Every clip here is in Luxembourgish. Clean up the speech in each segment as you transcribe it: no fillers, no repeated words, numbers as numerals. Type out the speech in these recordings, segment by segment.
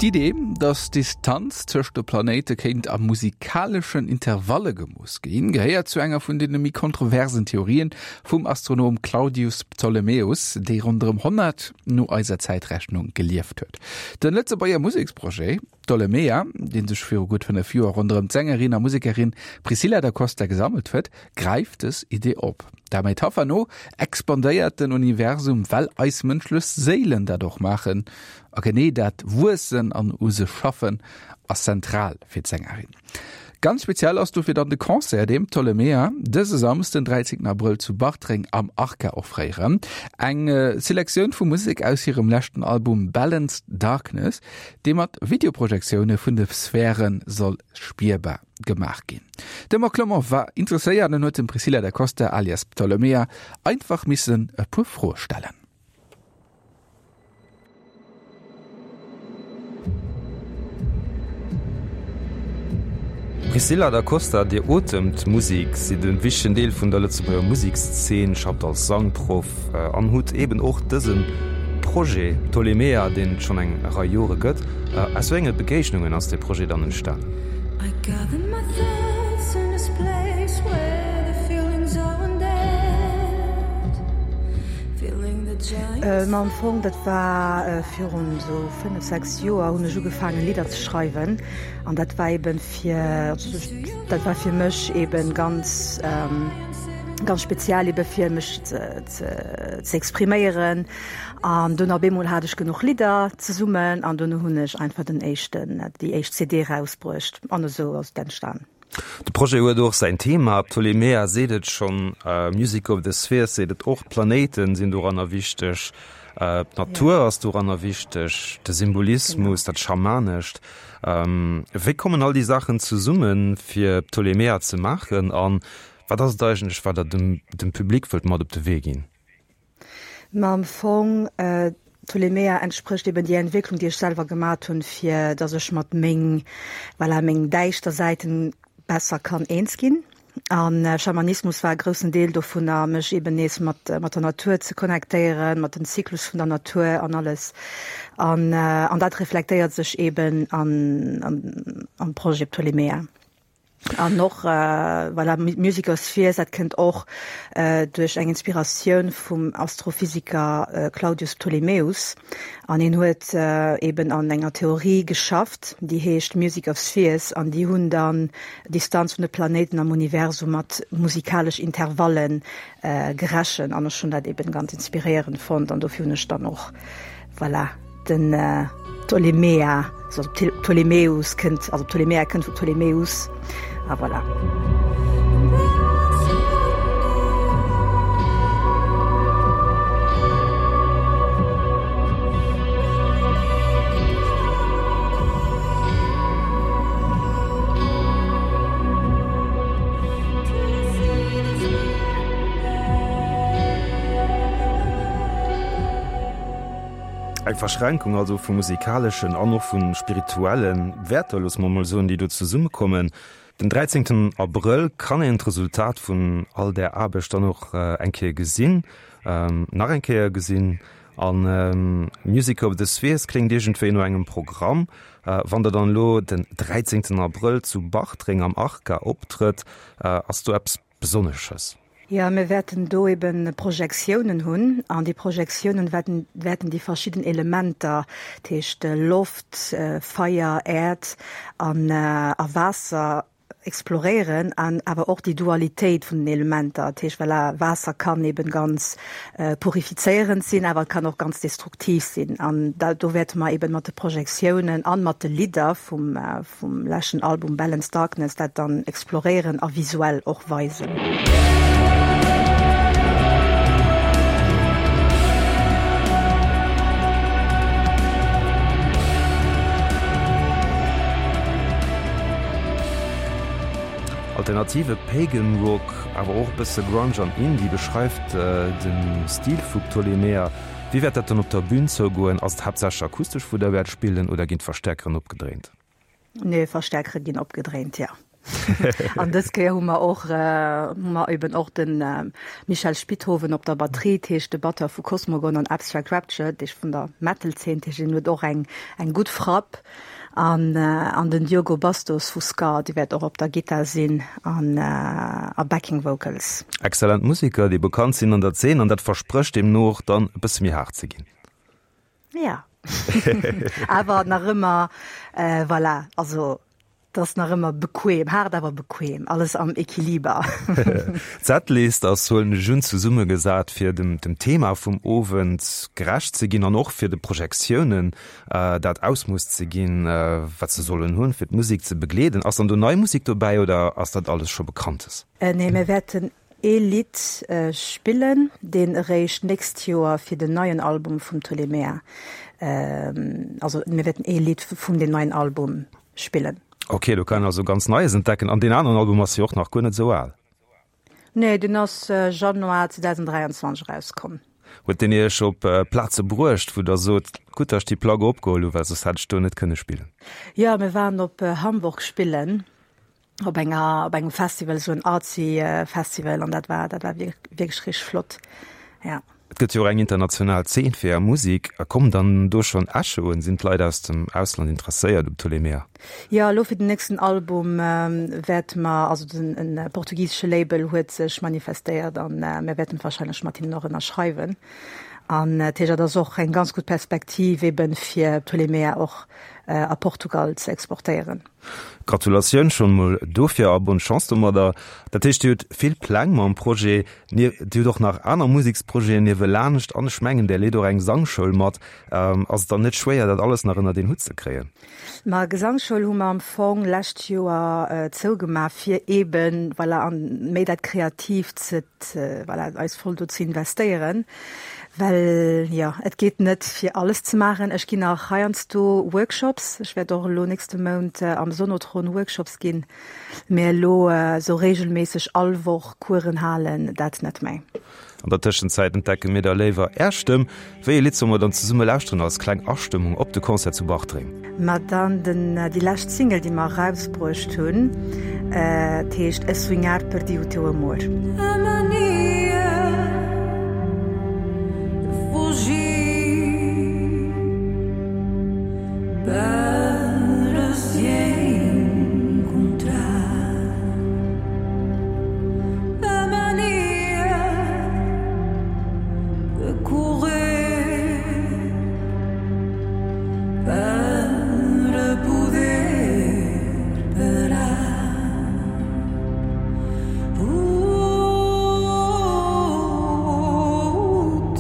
D'Idee, datt d'Distanz tëscht de Planéite kéint a musikaleschen Intervalle gemooss ginn, gehéiert zu enger vun deene méi kontroversen Theorien vum Astronom Claudius Ptolemäus, dee ronderëm 100 no eiser Zäitrechnung gelieft huet. De Lëtzebuerger Museksprojet Ptolemea, dee sech viru gutt 5 Joer ronderëm d'Sängerin a Musekerin Priscilla da Costa gesammelt huet, gräift dës Idee op. Der Metapher no expandéiert den Universum, well eis mënschlech Séilen dat och maachen. A genee dat Wuessen an u sech schaffen ass zentral fir d'Sängerin. Ganz speziell ass dofir dann de Concert, deen Ptolemea dëse Samsden, 13 Abrëll zu Bartreng am Arca offréieren. Eng Selektioun vu Musek aus hirem leschten Album Balanced Darkness, dee mat Videoprojektioune vun de Sphäre soll spierbar gemaach ginn. De Marc Clement war interesséiert an huet dem Priscilla da Costa alias Ptolemea einfach missen e puer Froe stellen. Priscilla da Costa, Dir otemt Musik, sidd e wichtegen Deel vun der Lëtzebuerger Musekszeen, schafft als Sangproff an hutt eben och dëse Projet Ptolemea, deen et schonn eng Rei Jore gëtt. Aus wéi enge Begéignungen ass dee Projet dann entstanen? Ma am Fong, dat war virun esou 5, 6 Joer, hunn ech ugefaangen Lidder ze schreiwen an dat war eben fir, dat war fir mech eben ganz, ganz speziell eben fir mech ze, ze expriméieren. An dunn op eemol hat ech genuch Lidder zesummen an dunn hunn ech einfach den éischten, déi éischt CD erausbruecht an esou ass et entstan. De Projet huet och säin Thema, Ptolemea seet et schonn, Music of the Spheres seet et och, d'Planéiten sinn doranner wichteg, d'Natur ass doranner wichteg, de Symbolismus, dat Schamanescht. Wéi kommen all déi Saachen zesummen, fir Ptolemea ze maachen a wat ass et eigentlech, wat Der dem Public wëllt mat op de Wee ginn? Ma am Fong, Ptolemea entsprécht eben déi Entwécklung, déi ech selwer gemat hunn, fir datt ech mat meng, voilà, meng däischter Säiten besser kann eens ginn. A Schamanismus war e groussen Deel dovunner, mech eben nees mat, mat der Natur ze connectéieren, mat den Zyklus vun der Natur an alles. An, an dat reflektéiert sech eben an, an, am Projet Ptolemea. An och voilà, Music of Spheres, dat kënnt och duerch eng Inspiratioun vum Astrophysiker Claudius Ptolemäus. An hien huet eben an enger Theorie geschafft, déi heescht Music of Spheres, an déi hunn dann d'Distanz vun de Planéiten am Universum mat musikalesch Intervallen gerechent. An ech hunn dat eben ganz inspiréierend fonnt an dofir hunn ech dann och Voilà, den Ptolemea, also Ptolemäus kënnt, also Ptolemea kënnt vu Ptolemäus, a voilà. Eng Verschränkung also vu musikaleschen an och vu spirituelle Wäerter, loosse mer emol soen, déi do zesummekommen. Den 13 Abrëll kann een d'Resultat vun all där Aarbecht dann och eng Kéier gesinn, nach eng Kéier gesinn. A Music of the Spheres kléngt iergendwéi no engem Programm. Wann Der dann elo den 13 Abrëll zu Bartreng am Arca optrëtt, ass do eppes Besonnesches? Jo, mir wäerten do eben Projektiounen hunn an déi Projektiounen wäerten, wäerten déi verschidden Elementer, dat heescht Loft, Feier, Äerd an a Waasser exploréieren an awer och déi Dualitéit vun den Elementer. Dat heescht, voilà, Waasser kann eben ganz purifizéierend sinn, awer et kann och ganz destruktiv sinn. An da, do wäerte mer eben mat de Projektiounen an mat de Lidder vum, vum leschten Album Balanced Darkness dat dann exploréieren a visuell och weisen. Alternative Pagan Rock, awer och e bësse Grunge an Indie beschreift de Stil vu Ptolemea. Wéi wäert dat dann op der Bün zougoen? Ass et haaptsächlech akustesch wou der wäert spillen oder ginn d'Verstäerkeren opgedréint? Nee, Verstäerkere ginn opgedréint, jo. An dës Kéier hu mer och, hu mer eben och de Michel Spithoven op der Batterie, dat heescht de Batteur vu Cosmogon an Abstract Rapture, dat heescht vun der Metal-Zeen, dat heescht hien huet och eng, eng gutt Frapp. An, an den Diogo Bastos vu Scar, dee wäert och op der Gittar sinn an a Backing Vocals. Exzellent Museker, déi bekannt sinn an der Zeen, an dat versprécht deemno och dann e bësse méi haart ze ginn. Ja. Awer nach ëmmer, voilà, also Et ass nach ëmmer bequem, haart awer bequem, alles am Equiliber. D'Setlist ass, huelen ech un, zesummegesat fir dem Thema vum Owend gerecht ze ginn an och fir de Projektiounen dat Ausmooss ze ginn, wat se sollen hunn, fir d'Musek ze begleeden. Ass dann do nei Musek dobäi oder ass dat alles scho Bekanntes? Nee, mir wäerten ee Lidd spillen, deen eréischt d'nächst Joer fir den neien Album vum Ptolemea, also mir wäerten ee Lidd vum deem neien Album spillen. Ok, do kann een also ganz Neies entdecken. An deen aneren Album ass jo och nach guer net esou al. Nee, deen ass Januar 2023 erauskomm. Huet deen Iech op Plaze bruecht, wou Der sot, gutt, datt ech déi Plack opgeholl hu, well soss hätt ech do net kënne spillen? Jo, mir waren op Hamburg spillen, op enger, op engem Festival, esou en artsy Festival, an dat war, dat war wierklech richteg flott, ja. Et gëtt jo och eng international Zeen fir Är Musek. Kommen dann do schonn Echoen? Sinn d'Leit aus dem Ausland interesséiert um Ptolemea? Jo, elo fir den nächsten Album wäerte mer, also den e portugisesche Label huet sech manifestéiert an mir wäerten warscheinlech mat hinnen och ënnerschreiwen. An dat heescht, dat ass och eng ganz gutt Perspektiv eben fir Ptolemea och a Portugal ze exportéieren. Gratulatioun schonn mol dofir a bonne Chance domadder. Dat heescht Dir hutt vill Pläng mam Projet, Dir hutt och nach aner Museksprojeten niewelaanscht an ech mengen där leet och eng Sangschoul mat. Ass et dann net schwéier dat alles nach ënnert een Hutt ze kréien? Ma Gesangsschoul hu mer am Fong lescht Joer zougemaach fir eben voilà an méi dat Kreatiivt ze voilà eis voll do ze investéieren. Well jo, et geet net fir alles ze maachen. Ech ginn nach heiansdo Workshops. Ech wäert och elo nächste Mount am Sonotron Workshops ginn. Mee elo esou reegelméisseg all Woch Coursen halen, dat net méi. An der Tëschenzäit entdecke mir da léiwer Är Stëmm. Wéi ee Lidd solle mer dann zesumme lauschteren als kleng Astëmmung op de Concert zu Bartreng? Ma dann den, déi lescht Single, déi mer erausbruecht hunn, et heescht A Sonhar Perdi O Teu Amor. A mania de fugir para se encontrar A mania de correr para poder parar O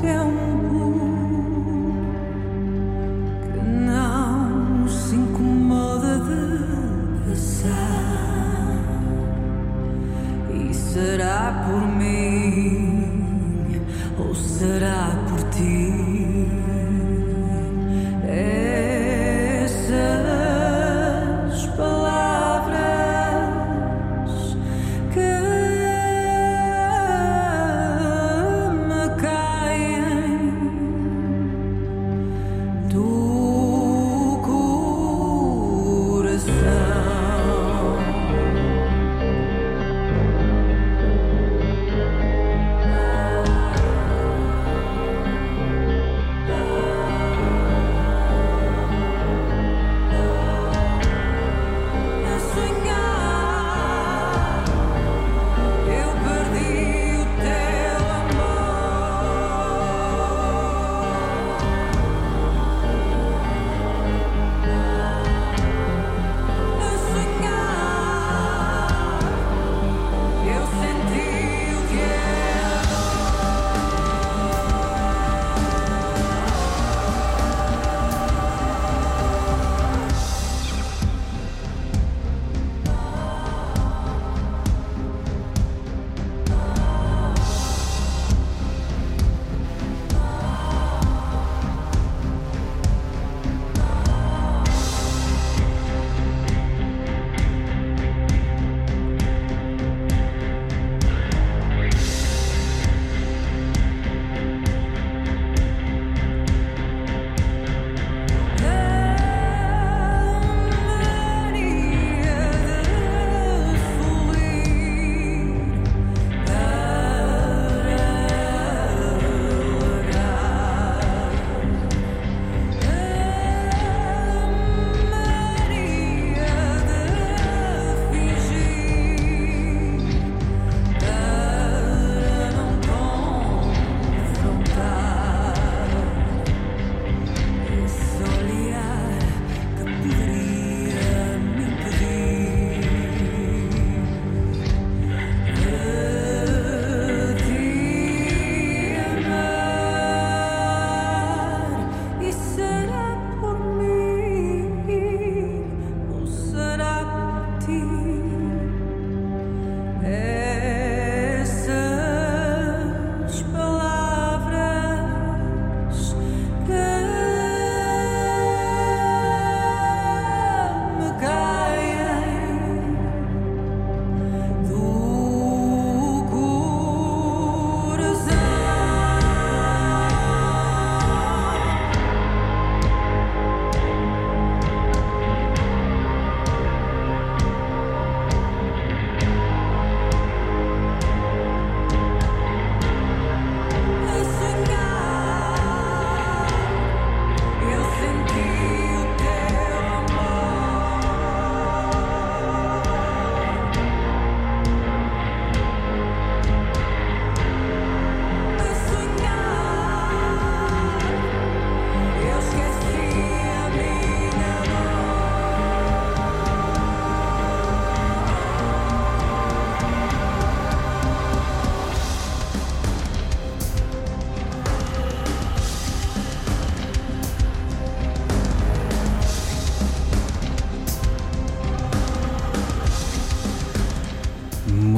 tempo que não se incomoda de passar E será por mim ou será por ti Essas palavras que me caem do coração. A sonhar eu perdi o teu amor.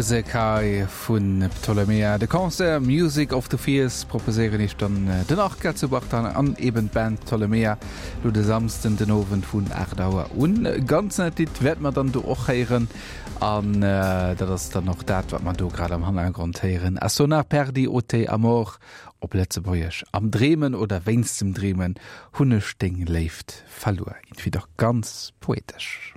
Musek hei vun Ptolemea. De Concert Music of the Fears proposéieren iech dann den Arca zu Bartan an eben d'Band Ptolemea lo de Samsden den Owend vun 8 Auer un. Ganz neit Lidd wäerte mer dann do och héieren an dat ass dann och dat wat mer do grad am Hannergrond héieren, A sonar perdi o te amor op Lëtzebuergesch, Am Dreemen oder wéinst dem Dreemen hunn ech deng Léift verluer. Irgendwie dach ganz poetesch.